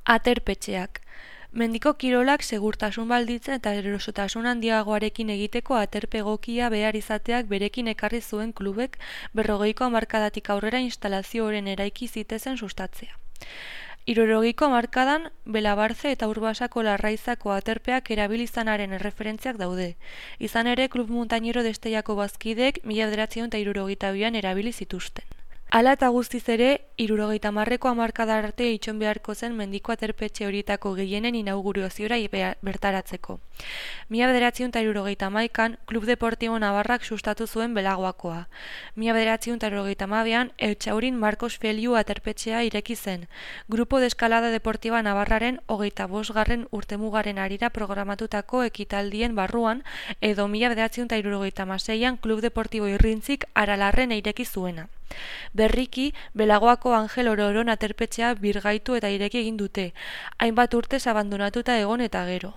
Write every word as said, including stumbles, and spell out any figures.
Aterpetxeak. Mendiko kirolak segurtasun baldintzen eta erosotasun handiagoarekin egiteko aterpe egokia behar izateak berekin ekarri zuen klubek berrogeiko hamarkadatik aurrera instalazioaren eraiki zitezen sustatzea. Hirurogeiko hamarkadan Belabarze eta Urbasako Larraizako aterpeak erabili izanaren erreferentziak daude. Izan ere, Klub Muntainero Desteiako bazkideek mila bederatziehun eta hirurogeita bian erabili zituzten. Hala eta guztiz ere, hirurogeita hamarreko hamarkada arte itxon beharko zen mendiko aterpetxe horietako gehienen inaugurazioa bertaratzeko. Mila bederatziehun eta hirurogeita hamaikan, Klub Deportibo Navarrak sustatu zuen Belagoakoa. Mila bederatziehun eta hirurogeita hamabian, Eutxaurin Marcos Feliu aterpetxea ireki zen, Grupo de Eskalada Deportiva Navarraren hogeita bosgarren urtemugaren harira programatutako ekitaldien barruan, edo mila bederatziehun eta hirurogeita hamaseian Klub Deportibo Irrintzik Aralarren ireki zuena. Berriki, Belagoako Angel Ororon aterpetxea birgaitu eta ireki egin dute, hainbat urtez abandonatuta egon eta gero.